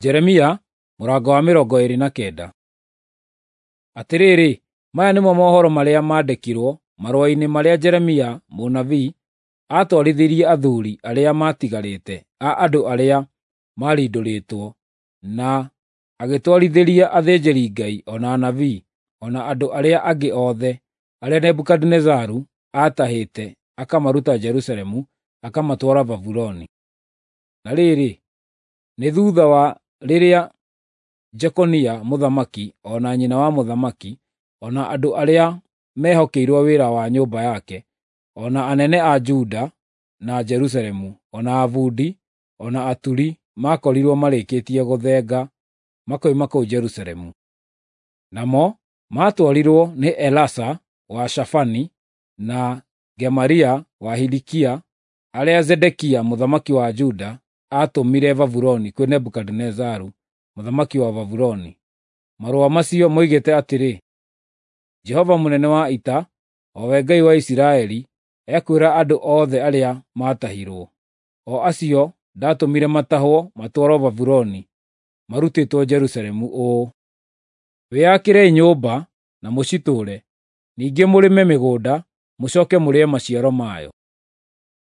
Jeremia mũrango wa 29. Atĩrĩrĩ, maya nĩmo mohoro marĩa maandĩkirwo marũa-inĩ marĩa Jeremia mũnabii aatwarithirie athuuri arĩa maatigarĩte a andũ arĩa maarindũrĩtwo, na agĩtwarithĩria athĩnjĩri-Ngai, o na anabii, o na andũ arĩa angĩ othe, arĩa Nebukadinezaru aatahĩte akamaruta Jerusalemu akamatwara Babuloni. Na rĩrĩ, nĩ thuutha wa rĩrĩa Jekonia mũthamaki, o na nyina wa mũthamaki, o na andũ arĩa mehokeirwo wĩra wa nyũmba yake, o na anene a Juda na Jerusalemu, o na abundi, o na aturi makorirwo marĩkĩtie gũthenga makoima kũu Jerusalemu. Namo maatwarirwo nĩ Elasa wa Shafani na Gemaria wa Hilikia, arĩa Zedekia mũthamaki wa Juda aatũmire Babuloni kwĩ Nebukadinezaru mũthamaki wa Babuloni. Marũa macio moigĩte atĩrĩ: Jehova mũnene wa ita, o we Ngai wa Isiraeli, ekwĩra andũ othe arĩa maatahirwo, o acio ndatũmire matahwo matwarwo Babuloni marutĩtwo Jerusalemu ũũ: Wĩakĩrei nyũmba na mũcitũũre, ningĩ mũrĩme mĩgũnda mũcooke mũrĩe maciaro mayo.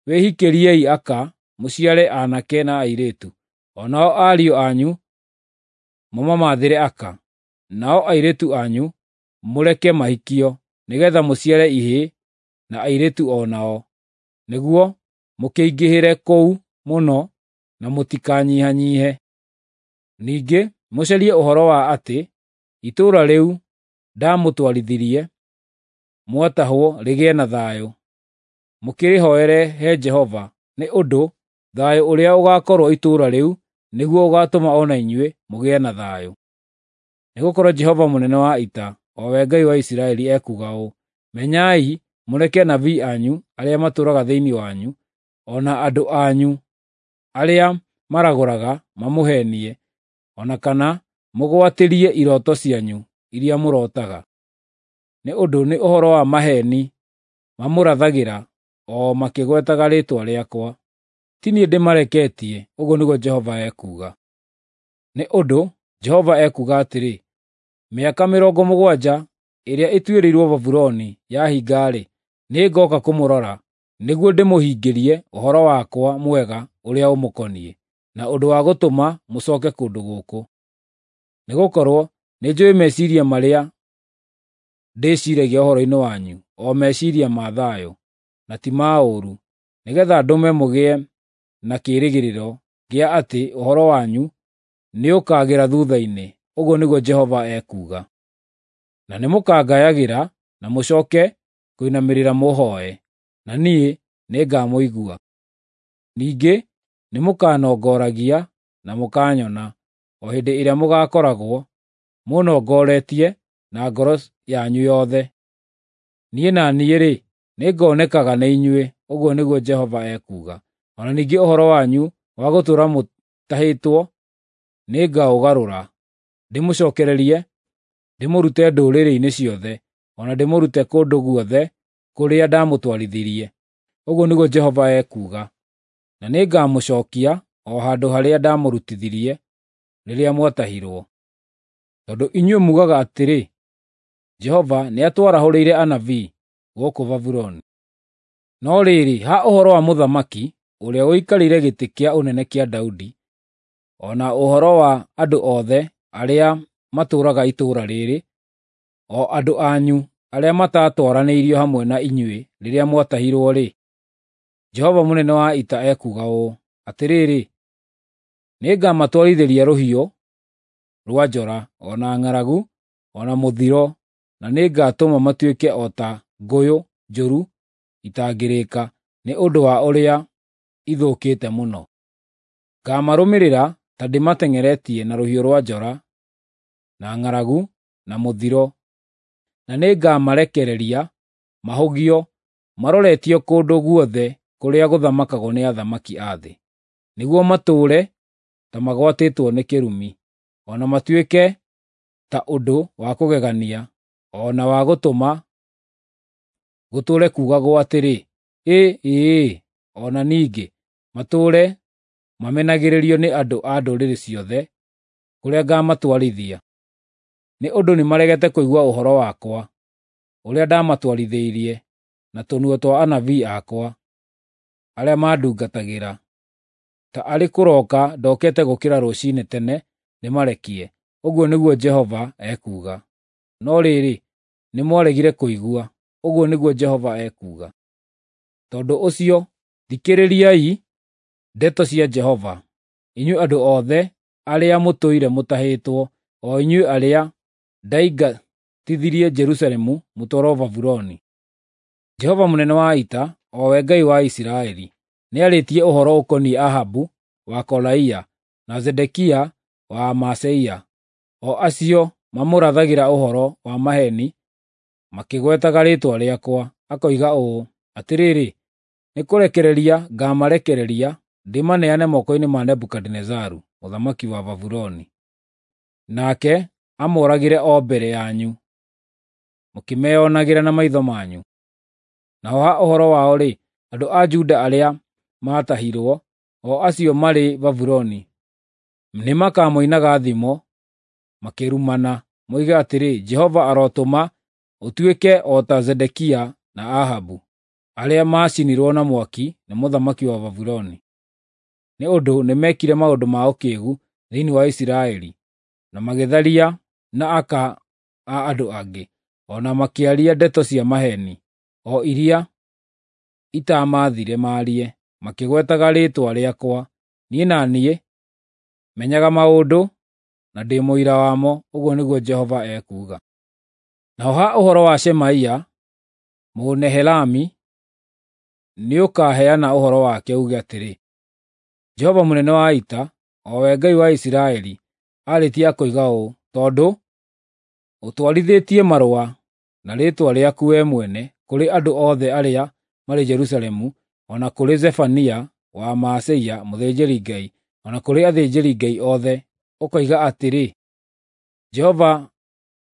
Wĩhikĩriei aka mũciare aanake na airĩtu, o nao ariũ anyu mũmamathĩre aka, nao airĩtu anyu mũreke mahikio, nĩgeetha mũciare ihĩĩ na airĩtu o nao, nĩguo mũkĩingĩhĩre kũu mũno na mũtikanyihanyiihe. Ningĩ mũcarie ũhoro wa atĩ itũũra rĩu ndaamũtwarithirie mwatahwo rĩgĩe na thayũ, mũkĩrĩhooere he Jehova, nĩ ũndũ thayũ ũrĩa ũgaakorwo itũũra rĩu nĩguo ũgaatũma o na inyuĩ mũgĩe na thayũ. Nĩgũkorwo Jehova mũnene wa ita, o we Ngai wa Isiraeli, ekuuga ũũ: Menyai mũreke anabii anyu arĩa matũũraga thĩinĩ wanyu, o na andũ anyu arĩa maragũraga mamũheenie, o na kana mũgwatĩrie irooto cianyu iria mũrootaga. Nĩ ũndũ nĩ ũhoro wa maheeni mamũrathagĩra o makĩgwetaga rĩĩtwa rĩakwa. Ti niĩ ndĩmareketie, ũguo nĩguo Jehova ekuuga. Nĩ ũndũ Jehova ekuuga atĩrĩ, mĩaka 70 ĩrĩa ĩtuĩrĩirwo Babuloni yahinga-rĩ, nĩngooka kũmũrora, nĩguo ndĩmũhingĩrie ũhoro wakwa mwega ũrĩa ũmũkoniĩ, na ũndũ wa gũtũma mũcooke kũndũ gũkũ. Nĩgũkorwo nĩnjũũĩ meciiria marĩa ndĩciiragia ũhoro-inĩ wanyu, o meciiria ma thayũ, na ti ma ũũru, nĩgeetha ndũme mũgĩe na kĩĩrĩgĩrĩro gĩa atĩ ũhoro wanyu nĩũkagĩra thuutha-inĩ, ũguo nĩguo Jehova ekuuga. Na nĩmũkangayagĩra na mũcooke kũinamĩrĩra mũhooe, na niĩ nĩngamũigua. Ningĩ nĩmũkanongoragia na mũkaanyona, o hĩndĩ ĩrĩa mũgaakoragwo mũnongoretie na ngoro yanyu yothe. Niĩ na niĩ-rĩ, nĩngonekaga nĩ inyuĩ, ũguo nĩguo Jehova ekuuga. O na ningĩ ũhoro wanyu wa gũtũũra mũtahĩtwo nĩngaũgarũra, ndĩmũcookererie, ndĩmũrute ndũrĩrĩ-inĩ ciothe, o na ndĩmũrute kũndũ guothe kũrĩa ndamũtwarithirie, ũguo nĩguo Jehova ekuuga. Na nĩngamũcookia o handũ harĩa ndamũrutithirie rĩrĩa mwatahirwo. Tondũ inyuĩ muugaga atĩrĩ, ‘Jehova nĩatwarahũrĩire anabii gũkũ Babuloni.’ No rĩrĩ, ha ũhoro wa mũthamaki ũrĩa ũikarĩire gĩtĩ kĩa ũnene kĩa Daudi, o na ũhoro wa andũ othe arĩa matũũraga itũũra rĩĩrĩ, o andũ anyu arĩa mataatwaranĩirio hamwe na inyuĩ rĩrĩa mwatahirwo-rĩ, Jehova mũnene wa ita ekuuga ũũ: Atĩrĩrĩ, nĩngamatwarithĩria rũhiũ rwa njora, o na ng'aragu, o na mũthiro, na nĩngatũma matuĩke o ta ngũyũ njũru itangĩrĩĩka, nĩ ũndũ wa ũrĩa ithũkĩte mũno. Ngaamarũmĩrĩra ta ndĩmateng'eretie na rũhiũ rwa njora, na ng'aragu, na mũthiro, na nĩngamarekereria mahũgio maroretio kũndũ guothe kũrĩa gũthamakagwo nĩ athamaki a thĩ, nĩguo matũũre ta magwatĩtwo nĩ kĩrumi, o na matuĩke ta ũndũ wa kũgegania, o na wa gũtũma gũtũũre kuugagwo atĩrĩ, ‘Ĩ-ĩĩ!’ O na ningĩ matũũre mamenagĩrĩrio nĩ andũ a ndũrĩrĩ ciothe. kũrĩa ngamatwarithia, nĩ ũndũ nĩmaregete kũigua ũhoro wakwa, ũrĩa ndamatwarithĩirie na tũnua twa anabii akwa, arĩa mandungatagĩra. Ta arĩ kũroka ndokete gũkĩra rũcinĩ tene ndĩmarekie, ũguo nĩguo Jehova ekuuga. No rĩrĩ, nĩmwaregire kũigua, ũguo nĩguo Jehova ekuuga. Tondũ ũcio, thikĩrĩriai ndeto cia Jehova, inyuĩ andũ othe arĩa mũtũire mũtahĩtwo, o inyuĩ arĩa ndaingatithirie Jerusalemu mũtwarwo Babuloni. Jehova mũnene wa ita, o we Ngai wa Isiraeli, nĩarĩtie ũhoro ũkoniĩ Ahabu wa Kolaia na Zedekia wa Maaseia, o acio mamũrathagĩra ũhoro wa maheeni makĩgwetaga rĩĩtwa rĩakwa, akoiga ũũ, ‘Atĩrĩrĩ, nĩkũrekereria ngaamarekereria ndĩmaneane moko-inĩ ma Nebukadinezaru mũthamaki wa Babuloni, nake amoragĩre o mbere yanyu, mũkĩmeyonagĩra na maitho manyu.’ Naho ha ũhoro wao-rĩ, andũ a Juda arĩa maatahirwo, o acio marĩ Babuloni, nĩmakamoinaga thimo makĩrumana, moige atĩrĩ, ‘Jehova arotũma ũtuĩke o ta Zedekia na Ahabu, arĩa maacinirwo na mwaki nĩ mũthamaki wa Babuloni. Nĩ ũndũ nĩmekire maũndũ ma ũkĩĩgu thĩinĩ wa Isiraeli, na magĩtharia na aka a andũ angĩ, o na makĩaria ndeto cia maheeni, o iria itaamathire maarie, makĩgwetaga rĩĩtwa rĩakwa. Niĩ na niĩ menyaga maũndũ, na ndĩ mũira wamo, ũguo nĩguo Jehova ekuuga. Naho ha ũhoro wa Shemaia Mũnehelami, nĩũkaheana ũhoro wake uuge atĩrĩ, Jehova mũnene wa ita, o we Ngai wa Isiraeli, aarĩtie akoiga ũũ: Tondũ ũtwarithĩtie marũa na rĩĩtwa rĩaku wee mwene kũrĩ andũ othe arĩa marĩ Jerusalemu, o na kũrĩ Zefania wa Maaseia mũthĩnjĩri-Ngai, o na kũrĩ athĩnjĩri-Ngai othe, ũkoiga atĩrĩ, Jehova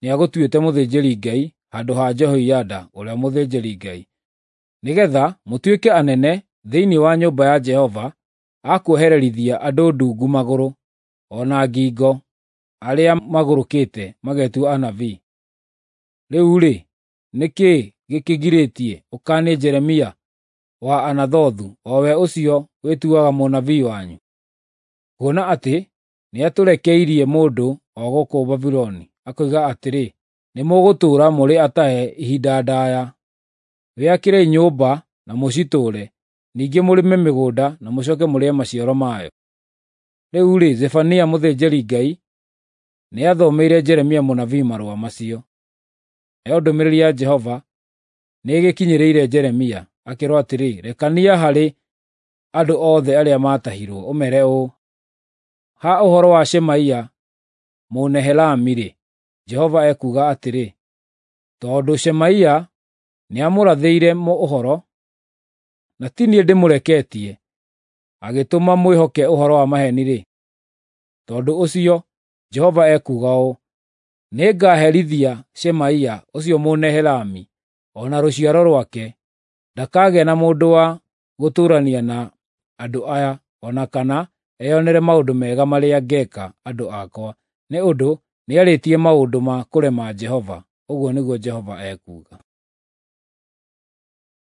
nĩagũtuĩte mũthĩnjĩri-Ngai handũ ha Jehoiada ũrĩa mũthĩnjĩri-Ngai, nĩgeetha mũtuĩke anene thĩinĩ wa nyũmba ya Jehova a kuohererithia andũ ndungu magũrũ o na ngingo arĩa magũrũkĩte magetua anabii. Rĩu-rĩ, nĩ kĩĩ gĩkĩgirĩtie ũkaanie Jeremia wa Anathothu, o we ũcio wĩtuaga mũnabii wanyu? Kuona atĩ nĩatũrekeirie mũndũ o gũkũ Babuloni, akoiga atĩrĩ, ‘Nĩmũgũtũũra mũrĩ atahe ihinda ndaaya. Wĩakĩrei nyũmba na mũcitũũre, ningĩ mũrĩme mĩgũnda na mũcooke mũrĩe maciaro mayo.’ Rĩu-rĩ, Zefania mũthĩnjĩri-Ngai nĩathomeire Jeremia mũnabii marũa macio. Nayo ndũmĩrĩri ya Jehova nĩĩgĩkinyĩrĩire Jeremia, akĩĩrwo atĩrĩ, “Rekania harĩ andũ othe arĩa maatahirwo, ũmeere ũũ: ‘Ha ũhoro wa Shemaia Mũnehelami-rĩ, Jehova ekuuga atĩrĩ: Tondũ Shemaia nĩamũrathĩire ũhoro, na ti niĩ ndĩmũreketie, agĩtũma mwĩhoke ũhoro wa maheeni-rĩ, tondũ ũcio Jehova ekuuga ũũ: Nĩngaherithia Shemaia ũcio Mũnehelami o na rũciaro rwake. Ndakagĩa na mũndũ wa gũtũũrania na andũ aya, o na kana eyonere maũndũ mega marĩa ngeeka andũ akwa, nĩ ũndũ nĩarĩtie maũndũ ma kũrema Jehova, ũguo nĩguo Jehova ekuuga.”